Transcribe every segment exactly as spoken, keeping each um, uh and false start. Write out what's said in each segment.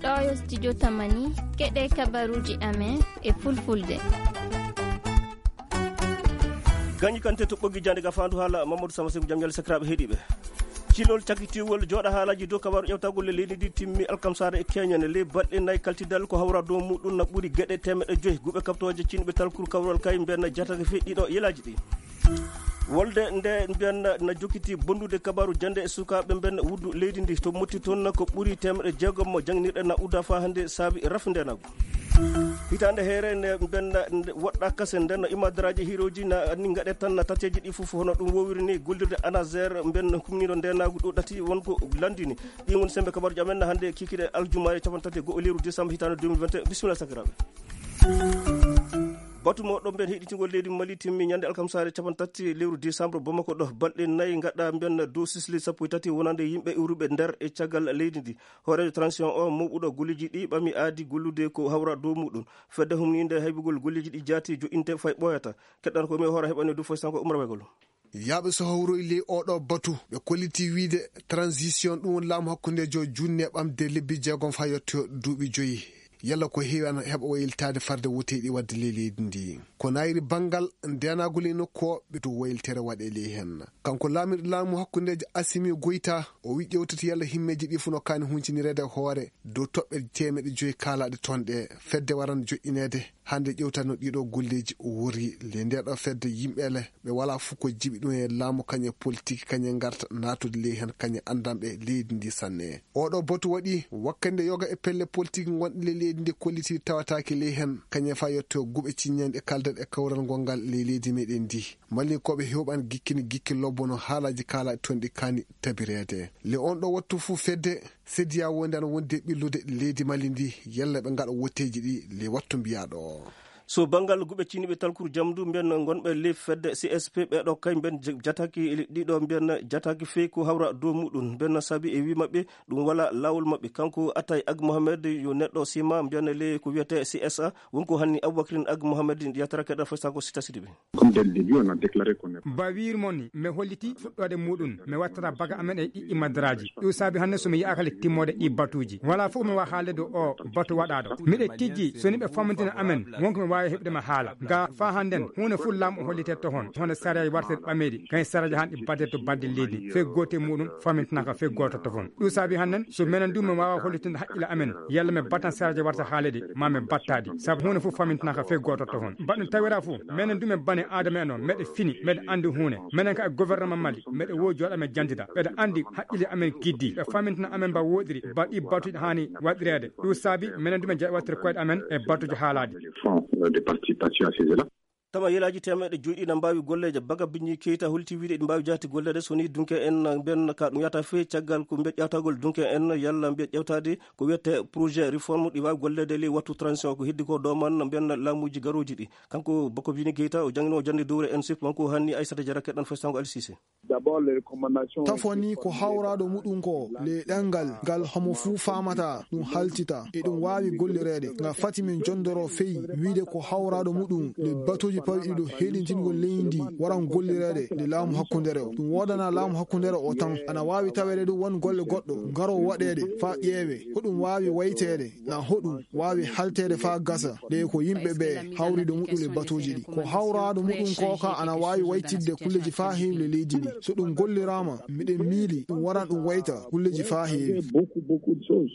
Ɗo yo studio Tamani, keɗe kabaruuji amen e fulfulde. Gañi kante to ɓoggi jande ga fandu hala Mamadou Sama Seku, jam ñalle sakiraaɓe heɗiiɓe. Cilol cakitiwol jooɗa haalaji dow kabaru ƴewtagol le leydi ndi timmi alkamsare e keñene. Le balɗe nayi kaltidal ko hawra dow muɗum na ɓuri geɗe temeɗe joyi guɓe kaptooje cinɓe talkuru kawral kay mbenna jatake feƴƴiɗo yelaji ɗi. Wolde nde mbiyanna na jokkiti bondude kabaru jande e sukaaɓe mbenna wuddu leydi ndi to motti toon ko ɓuri temeɗe jeegom mo jangnirɗe na udda fa hannde saabi rafu ndenagu. Hitaande heere nde mbenna woɗɗa kase nden no imadaraaji hiroji na anni ngaɗe tan na tateji ɗi fof hono ɗum wowiri ni gollirde anazer mbenna kumniɗo ndenagu ɗo ɗati won ko landini. Ɗi woni sembe kabaruji amen na hannde kikiɗe aljumaare capanɗe tati e go'o lewru décembre hitaande deux mille vingt et un. Bisimilla sakiraaɓe. Batu mo ɗon mbiyen heɗitingol leydi Mali timmi ñande alkamsaare capanɗe tati lewru décembre Bamako ɗo balɗe nayi gaɗa mbiyen dow sisli sappo e tati wonande yimɓe iwruɓe nder e caggal leydi ndi. Hooreejo transition o mawɓuɗo golleji ɗi ɓami aadi gollude ko hawra dow muɗum. Fedde humninde haybugol golleji ɗi jaati joɗɗinte fay ɓooyata. Keɗɗan ko mi hoore heɓani du foy sanko umra wegol. Yaaɓe so hawroyi ley oɗo batu, ɓe kolliti wiide transition ɗum woni laamu hakkundeejo junne ɓamde lebbi jeegom faa yetto duuɓi joyi. Yalla ko heewi ana heɓa wayiltaade farde woteeɗi waɗde ley leydi ndi. Ko nayri banngal ndeenaagol e nokku o ɓe to wayiltere waɗe ley heen. Kanko laamirɗo laamu hakkundeejo Asimi Goyta, o wi ƴewtata yalla himmeeji ɗi fof no kaani huncinireede hoore dow toɓɓe teemeɗe joyi kaalaaɗe toon ɗe fedde waran joƴƴineede. Hannde ƴewtatno ɗiɗo golleeji wori le ndeɗo fedde yimɓe le ɓe wala fof ko jiɓi ɗum e laamu kañe politique kañe ngarta naatude ley heen kañe anndanɓe leydi ndi sanne. Oɗo batu waɗi wakkande yoga e pelle politique gonɗe ley leydi ndi kolliti tawataake ley heen kañe fa yetto guɓe ciññanɗe kalden e kawral ngongal ley leydi meɗen ndi. Mallinkooɓe hewɓan gikkini gikki lobbono haalaji kaala toon ɗi kaani tabireede. Le on ɗo wattu fof fedde Sediya wonde ana wonde ɓillude leydi Mali ndi, yalla ɓe ngaɗa wotteeji ɗi le wattu mbiyaɗo o. So banngal guɓe ciniɓe talkuru jamdu mbiyan gonɓe le fedde C S P ɓeɗo kay mbiyan jataki ɗiɗo mbiyan jataki fey ko hawra dow muɗum mbiyan sabi e wi maɓɓe ɗum wala lawol maɓɓe. Kanko Atay Ag Mohamed yo neɗɗo sima mbiyan le ko wiyete C S A wonko hanni Aboubacrin Ag Mohamed yatara keɗa fay sako sita sidiɓe. Comme dès le début, on a déclaré qu'on est Ba wiiri mon ni, mi holliti fuɗɗoode muɗum, mi wattata baga amen e ɗiɗɗi madaraaji. Ɗum saabi hannde so mi yaakale timmoode ɗi batuuji. Wala fof mi waawi haalde dow o batu waɗaaɗo. Miɗe tijji, so ni ɓe famantina amen, wonko mi waawi heɓde ma haala. Ga faa hannden, huunde fof laamu o hollitee to hon, hono sariyaaji wartee ɓameeɗi, kañ sariyaaji han ɗi baddee to badde leydi, fey goote muɗum famintinaka fey gooto to hon. Ɗum saabi hannden, so menen du mi waawa hollitinde haqqille amen, yalla mi battan sariyaaji warta haaleede, ma mi battaadi. Sabu huunde fof famintinaka fey gooto to hon. Baɗɗum tawira fof, menen du men bani Aadama en o, meɗe fini, meɗe anndi huunde. Menen ka e gouvernement Mali, meɗe wo jooɗa men janndida. Ɓeɗe anndi haqqille amen giddi. Ɓe famintina amen ba woɗiri, ba ɗi batuji haani waɗireede. Ɗum saabi, menen du men jaɓi wattude koyɗe amen e batuji haalaadi. Fonds, euh, de participation à ces élèves. Tama yelaaji temeɗe joyi ɗi na mbaawi golleeje. Baga Biñi Keyta holti wiide ɗi mbaawi jahti golleede so ni dunke en mbiyan ka ɗum yahata fey caggal ko mbiya ƴawtagol dunke en yalla mbiya ƴewtaade ko wiyete projet réforme ɗi waawi golleede ley wattu transition ko heddi ko doman mbiyan laamuji garooji ɗi. Kanko Bako Biñi Keyta o janngino jannde dowre en sip kanko hanni Aissata Diarra keɗan fay sango Ali Cissé. D'abord, les recommandations Tafo ni ko hawraɗo muɗum ko le ɗengal ngal homo fuu faamata ɗum haltita e ɗum waawi gollireede. Nga fati min jondoro fey wiide ko hawraɗo muɗum le batuuji pawɗi ɗo heɗintingol leydi ndi waran gollireede nde laamu hakkundere o. Ɗum woodana laamu hakkundere o tan. Ana waawi taweede ɗum won golle goɗɗo ngaro waɗeede faa ƴeewe ko ɗum waawi wayteede na hoɗum waawi halteede faa gasa, nde ko yimɓe ɓe hawriiɗo muɗum e batuuji ɗi. Ko hawraado muɗum ko ka ana waawi waytidde kulleeji faa heewi le leydi ndi. So ɗum golliraama, miɗen miili ɗum waran ɗum wayta kulleeji faa heewi. Beaucoup, beaucoup de choses.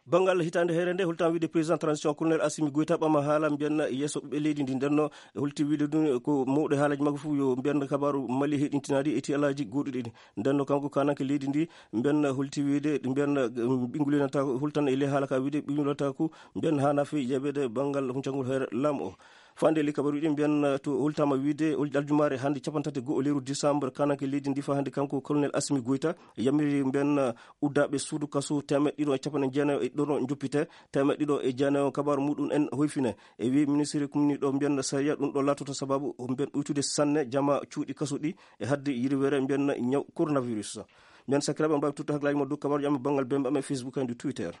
Banngal hitaande heere nde, holtan wiide président transition, colonel Assimi Goïta ɓama haala mbiyan yeeso ɓiɓɓe leydi ndi. Ndenno e holti wiide ɗum ko mawɗo haalaaji makko fof yo mbiyan kabaaru Mali heɗintinaɗi e ti alaaji goɗɗuɗi ɗi. Ndenno kanko kananke leydi ndi mbiyan holti wiide mbiyan ɓingulinata holtan e ley haala ka wiide ɓingulata ko mbiyan hana fe yeɓede banngal huncangol hoore laamu o. Fande li kabaru ɗin mbiyan to holtama wiide aljumaare hannde capanɗe tati go'o lewru décembre kananke leydi ndi fa hannde kanko colonel Assimi Goïta yamiri mbiyan uddaɓe suudu kaso temeɗɗe ɗiɗo e capanɗe jeenayo e ɗiɗo joppite temeɗɗe ɗiɗo e jeenayo kabaru muɗum en hoyfine. E wi ministre kumni ɗo mbiyan sariya ɗum ɗo latoto sababu mbiyan ɓuytude sanne jama cuuɗi kaso ɗi e hadde yirwere mbiyan ñaw coronavirus. Mbiyan sakiraɓe on mbawi tutta haklaji mo dow kabaruji amen banngal bembe amen Facebook e ndu Twitter.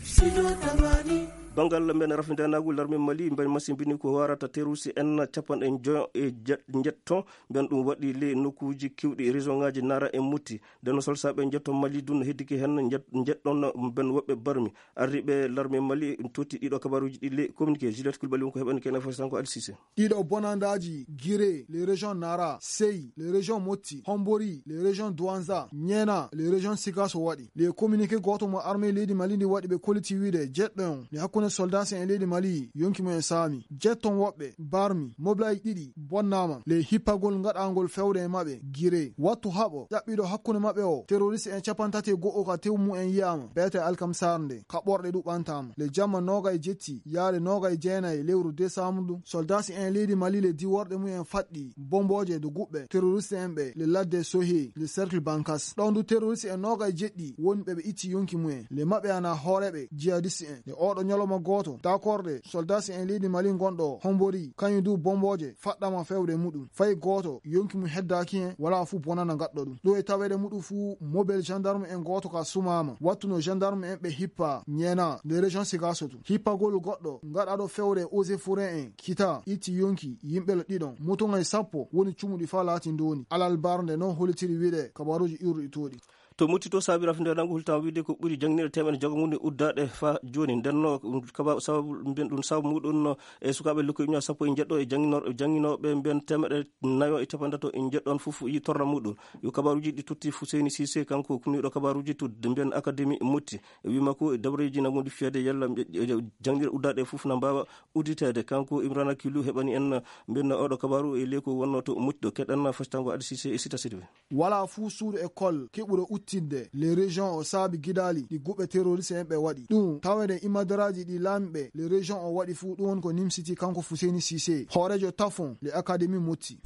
Sino tamani. Banngal men rafintanaagu, larme Mali mben masimbini ko warata terroriste en capanɗe njo e je- njetto, mben ɗum waɗi le nokkuuji kiwɗi région ŋaaji Nara e Mutti. Nden solsaaɓe njetto Mali dun heddike hen njet- njetɗon mben woɓɓe barmi. Arriɓe larme Mali totti ɗiɗo kabaruuji ɗi le communiqué. Juliette Coulibaly won ko heɓani kene fo sanko Alsise. Ɗiɗo bonandaaji Gire, les régions Nara, Sey, les régions Motti, Hombori, les régions Douanza, Niena, les régions Sigasso waɗi. Les communiqué gooto mo armée leydi Mali ndi waɗi ɓe kolliti wiide jeɗɗo on ne hakkunde soldat en leydi Mali yonki mum en saami. Jetton woɓɓe, barmi, mobilaaji ɗiɗi bonnaama. Les hippagol ngaɗaangol fewde e maɓɓe, Gire. Wattu haɓo, ƴaɓɓiɗo hakkunde maɓɓe o, terroriste en capantati e go'o ka tew mum en yi'aama, beete Alkam Sarr nde, kaɓorɗe ɗuɓɓantaama. Le jamma noogay jetti, yaade noogay jeenay lewru décembre ɗum, soldat en leydi Mali le diworɗe mum en faɗɗi, bombooje de guɓɓe, terroriste en ɓe, le ladde Sohe, le cercle Bankas. Ɗon du terroriste en noogay jeɗɗi, woni ɓe ɓe itti yonki mum en. Le maɓɓe ana hooreɓe, jihadiste en. Le oɗo ñalawma gooto, dakorɗe, soldat en leydi Mali gonɗo, hombori, kañum du bombooje, faɗɗama fewde muɗum. Fay gooto, yonki mum heddaaki hen, wala fu bonana gaɗɗo ɗum. Ɗo e taweede muɗum fu, mobile gendarme en gooto ka sumaama. Wattuno gendarme en ɓe hippa, ñeena, le région Sigasso tun. Hippagol goɗɗo, gaɗaɗo fewre eaux et forêt en, kita, itti yonki, yimɓe le ɗiɗon. Motogay sappo, woni cumuɗi fa laati ndooni. Alal barnde non holitiri wiɗe, kabaruuji iwruɗi tooɗi. To Mutti to, saabi rafintanaagu hultan wiide ko ɓuri jannginirɗe teemeɗe jeegom woni uddaaɗe faa jooni. Nden no kaba-, sababu mbiyen ɗum sababu muɗum no e sukaaɓe lekkoy ujunaaji sappo e njeɗɗo e jannginor-, jannginooɓe mbiyen teemeɗe nayo e capanɗe tato e njeɗɗo on fof yi torra muɗum. Yo kabaruuji ɗi totti Fuseyni Sise, kanko kumniiɗo kabaruuji to mbiyen Akademi Mutti. E wii makko e dabreeji na ngondi fiyade yalla mbiyen, e, e, jannginirɗe uddaaɗe fof na mbaawa udditeede. Kanko Imrana Kilu heɓani en mbiyen oɗo kabaru e ley ko wonno to Mutti ɗo. Keɗen fastango Adi Sise e Sita Sidibé. Wala fuu suudu école keɓuɗo uttinde les régions o saabi gidaali ɗi guɓe terroriste en ɓe waɗi. Ɗum tawede imadaraaji ɗi laamiɓe les régions o waɗi fuu ɗum woni ko nimsiti kanko Fuseni Sise, hoorejo Tafon le Académie Motti.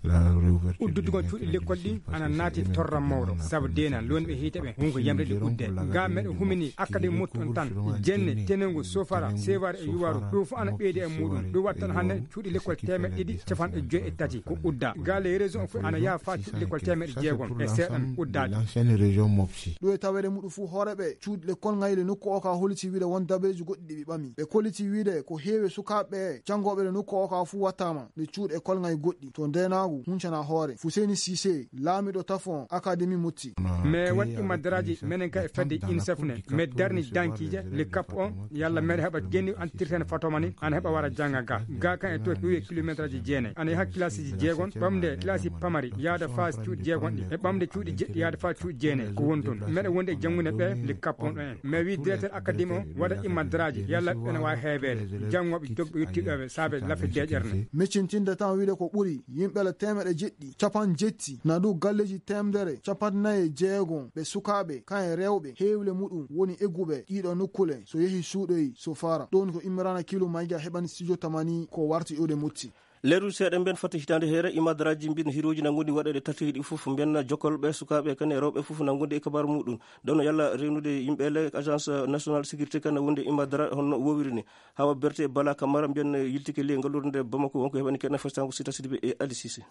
Uddudugol cuuɗi lekkol ɗi ana naati torra mawɗo, sabu deena lonɓe hiite ɓe wonko yamre ɗi udde. Ga meɗe humini Académie Motti on tan, jenne, tenengu, sofara, seware e yuwaru, ɗum fof ana ɓeydi e muɗum. Ɗum waɗi tan hannde cuuɗi lekkol teemeɗɗe ɗiɗi capanɗe joyi e tati ko udda. Ga les régions fof ana yaha faa cuuɗi lekkol teemeɗɗe jeegom e seeɗan uddaaɗi. Ɗum e taweede muɗum fof, hooreeɓe cuuɗi lekkol ngayli nokku o ka holliti wiide won dabareeji goɗɗi ɗi ɓe ɓami. Ɓe kolliti wiide ko heewi sukaaɓe ɓe janngooɓe ɗo nokku o ka fof wattaama nde cuuɗi lekkol ngay goɗɗi to ndeenaagu huncana hoore. Fuseni Sise, laamiɗo Tafon Académie Motti. Mais waɗi madaraaji menen ka e fedde UNICEF ne, mais darni dankiije le cap on, yalla meɗe heɓa genni antirten fatoma ni, ana heɓa wara jannga ga. Ga kan e to wiye kilométre aji jeenayi. Ana yaha kilasiji jeegon, ɓamde kilasi pamari, yaada faa cuuɗi jeegon ɗi, e ɓamde cuuɗi jeɗɗi, yaada faa cuuɗi jeenayi. Ko woni toon. Meɗe wonde e janngude ɓe le cap on ɗo en. Mais wi directeur académie o, waɗa imadaraaji, yalla ɓene waawi heebeede. Janngooɓe jogɓe yottiiɗo ɓe saabe lafe deeƴere ne. Miccintinde tan wiide ko ɓuri yimɓe le teemeɗe jeɗɗi, capanɗe jetti, na du galleeji teemedere, capanɗe nayi e jeegom ɓe sukaaɓe, kan e rewɓe, heewle muɗum woni egguɓe ɗiɗo nokkule, so yehi suuɗoyi, so fara. Ɗum ko Imrana Kilu Mayga heɓani studio Tamani ko warti iwde Motti. Leeru seeɗa mben fatti hitaande heere, imadaraaji mbin hirooji na ngondi waɗeede tati ɗi fof, mben jokkolɓe sukaaɓe kan e rewɓe fof na ngondi e kabaru muɗum. Ɗon no yalla rewnude yimɓe le agence nationale sécurité kan wonde imadara honno wowiri ni. Hawa Berte Bala Kamara mbiyen yiltike le ngalluure nde Bamako, wonko heɓani keɗen festango Sita Sidibé e Ali Sise.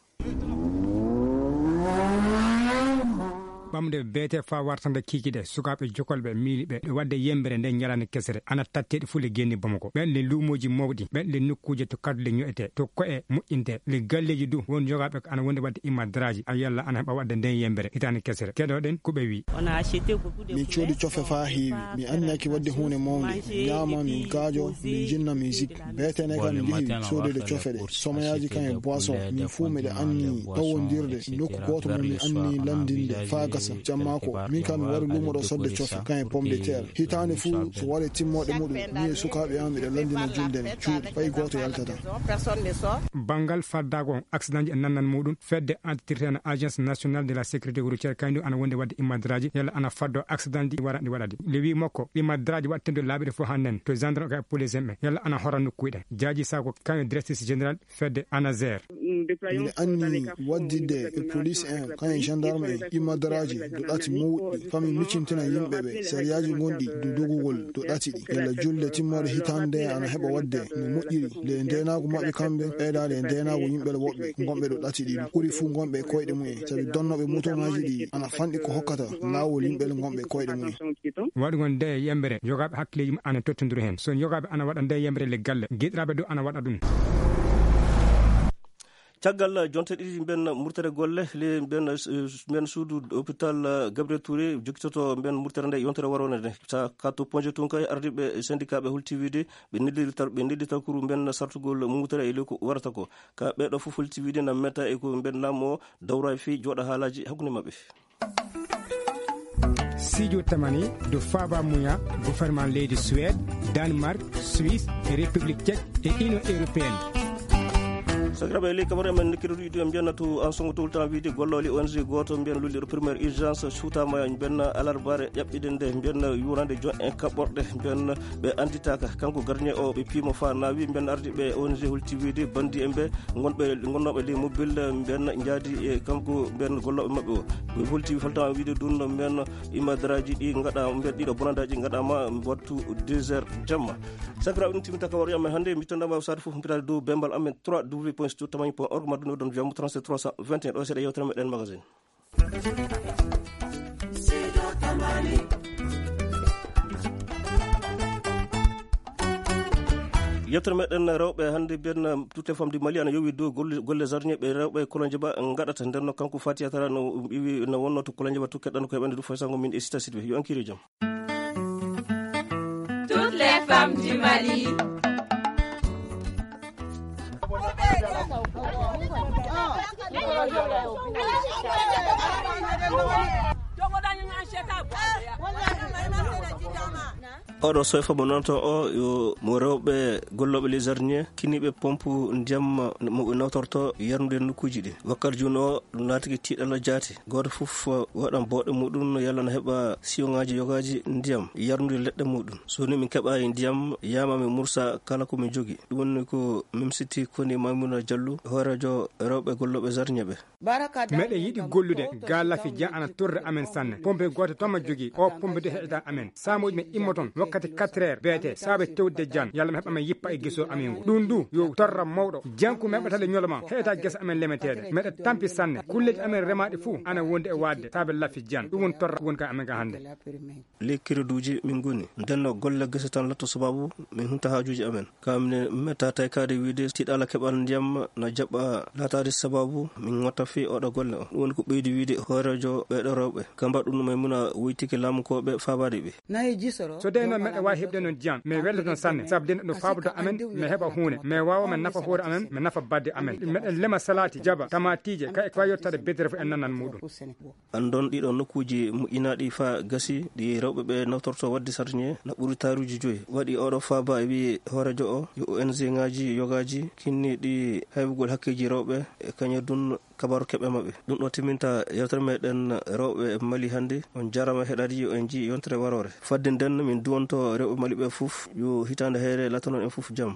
Ɓamde beete faa wartande kiikiɗe, sukaaɓe jokolɓe miili ɓe ɗo waɗde yembere nde ñalaande kesere, ana tattee ɗi fuu le genni Bamako. Ɓen le luumooji mawɗi, ɓen le nokkuuje to kadule ño'etee, to ko'e moƴƴintee, le galleeji du won jogaaɓe ko ana wonde waɗde imadaraaji, a yalla ana heɓa waɗde nden yembere hitaande kesere. Keɗoɗen ko ɓe wi. Min coodi cofe faa heewi. Mi anniyaki waɗde huunde mawnde. Min ñaama, min gaajo, min jinna, min jik. Beetene kam, min njehi soodoyde cofe ɗe, somayaaji kam e boisson. Min fuu miɗe anni tawondirde nokku gooto mo min anni lanndinde faa gasa. Jamma ko, min kam mi wari luumo ɗo sodde cofe, kam e pomme de terre. Hitaande fuu, so waɗe timmooɗe muɗum, min e sukaaɓe am miɗo lanndina julde ne, cuuɗi, fay gooto yaltataa. Banngal faddaango on, accidentji e nannan muɗum, fedde antirten agence nationale de la sécurité routière, kañum ana wonde waɗde imadaraaji, yalla ana faddo accidentji waɗanɗi waɗaɗi. Le wi makko, imadaraaji waɗtendo laaɓiɗe fof hannden, to gendarme ka e police en ɓe, yalla ana hora nokkuuji ɗe. Jaaji Sako, kañum directrice générale fedde ANASER. Miɗo anni wadditde e police en, kañum gendarme en, imadaraaji, dow ɗati mawɗi, fami miccintina yimɓe ɓe sariyaaji ngonɗi dow dogugol dow ɗati ɗi. Yalla julde timmorde hitaande nde ana heɓa waɗde no moƴƴiri, nde ndeenaagu maɓɓe kamɓe ɓeydaade e ndeenaagu yimɓe woɓɓe ngonɓe dow ɗati ɗi, ɓuri fuu ngonɓe e koyɗe mumen, sabi donnooɓe mootooŋaaji ɗi ana fanɗi ko hokkata laawol yimɓe ngonɓe e koyɗe mumen. Waɗugol nde yembere, yogaaɓe hakkileeji mum ana tottondiri heen. So yogaaɓe ana waɗa nde yembere le galle, giɗiraaɓe du ana waɗa ɗum. Caggal jonte ɗiɗi mben murtere golle, le mben, mben suudu hôpital Gabriel Touré jokkitoto mben murtere nde yontere warone nde. Sa katto ponje tun kay ardiɓe syndicat ɓe hulti wiide ɓe neldi tar-, ɓe neldi tankuru mben sartugol murtere e ley ko warata ko. Ka ɓeɗo fof hulti wiide na meta e ko mben laamu o dawra e fii jooɗa haalaji hakkunde maɓɓe. Sijo tamani do faba muya gouvernement leydi Suède, Danemark, Suisse, République Tchèque et Union Européenne. Sakiraɓe, ley kabaru amen nekkirɗo yiɗu en mbiyanna to en songo towltan wiide gollooli O N G gooto mbiyan lulliɗo première urgence suutama mbiyan alarbaare ƴaɓɓiɗe nde mbiyan yurande jon en kaɓɓorɗe mbiyan ɓe anditaka. Kanko gardien o ɓe piimo fa nawi mbiyan ardi ɓe O N G holti wiide bandi en ɓe gonɓe, gonnoɓe ley mobile mbiyan jaadi e kanko mbiyan golloɓe maɓɓe o. Ɓe holti faltama wiide ɗum mbiyan imadaraji ɗi gaɗa mbiyan ɗiɗo bonandaji gaɗama wattu deux heures jamma. Sakiraɓe, ɗum timminta kabaru amen hannde. Mi tondama sade fof mpitade dow bembal amen trois w point studio tamani point org, madduno ɗon via trente trois cent vingt et un. Ɗo seeɗa yewtere meɗen magazine. Yettere meɗen rewɓe hannde mbiyen toute femme du Mali ana yowi dow golle, golle jardinier ɓe rewɓe Kolonjeba ngaɗata. Nden no kanko Fatiya Tara no iwi no wonno to Kolonjeba to keɗɗan ko heɓande du faysango min e sita sitɓe. Yo ankiri jam. Toutes les femmes du Mali. Oɗo soyfa mo nonto o yo mo rewɓe gollooɓe les jardinier kiniɓe pompe ndiyam mo ɓe nawtorto yarnude nokkuuji ɗi. Wakkati jooni o ɗum laatike tiiɗalla jaati. Gooto fof waɗan booɗe muɗum yalla na heɓa siyoŋaaji yogaaji ndiyam yarnude leɗɗe muɗum. So ni min keɓa e ndiyam yama mi mursa kala ko min jogi. Ɗum woni ko mimsiti koni Maymuna Jallu, hooreejo rewɓe gollooɓe jardinier ɓe. Meɗen yiɗi gollude ga lafi jan ana torre amen sanne. Pompe gooto toma jogi o pompe de heɗa amen. Samuji men immoton wakkati quatre heures beete saabe tewde jan yalla mi heɓa men yippa e geso amen ngu. Ɗum du yo torra mawɗo. Janku men ɓatale ñoloma heɗa gesa amen lemeteɗe. Meɗa tampi sanne. Kulleji amen remaɗi fuu ana wonde e wadde saabe lafi jan. Ɗum won torra won ka amen ga hannde. Ley kereduuji min ngoni. Ndenno golle gese tan latto sababu min hunta haajuuji amen. Ka minen metta taykaade wiide tiiɗalla keɓal ndiyam na jaɓɓa laataade sababu min ngotta fii oɗo golle o. Ɗum woni ko ɓeydi wiide hooreejo ɓeeɗo rewɓe. Ka mbaɗ ɗum may muna woytike laamukooɓe faabaade ɓe. So dey noon meɗa waawi heɓde noon ndiyam, mi welloto noon sanne, sabu dey no ɗum faabude amen, mi heɓa huunde, mi waawa mi nafa hoore amen, mi nafa badde amen. Meɗen lema salaati, jaba, tamaatiije, kay ko yettade bedere fof en nanan muɗum. Anndon ɗiɗo nokkuuji moƴƴinaaɗi faa gasi ɗi rewɓe ɓe nawtorto waɗde sardiŋe na ɓuri taaruuji joyi. Waɗi oɗo faaba e wi'i hooreejo o yo O N G ŋaaji yogaaji kinni ɗi haybugol hakkeeji rewɓe e kañadun kabaru keɓe maɓɓe. Ɗum ɗo timminta yewtere meɗen rewɓe Mali hannde. On jarama heɗaade yo en ji yontere warore. Fadde nden min duwonto rewɓe Mali ɓe fof yo hitaande heere latanon en fof jam.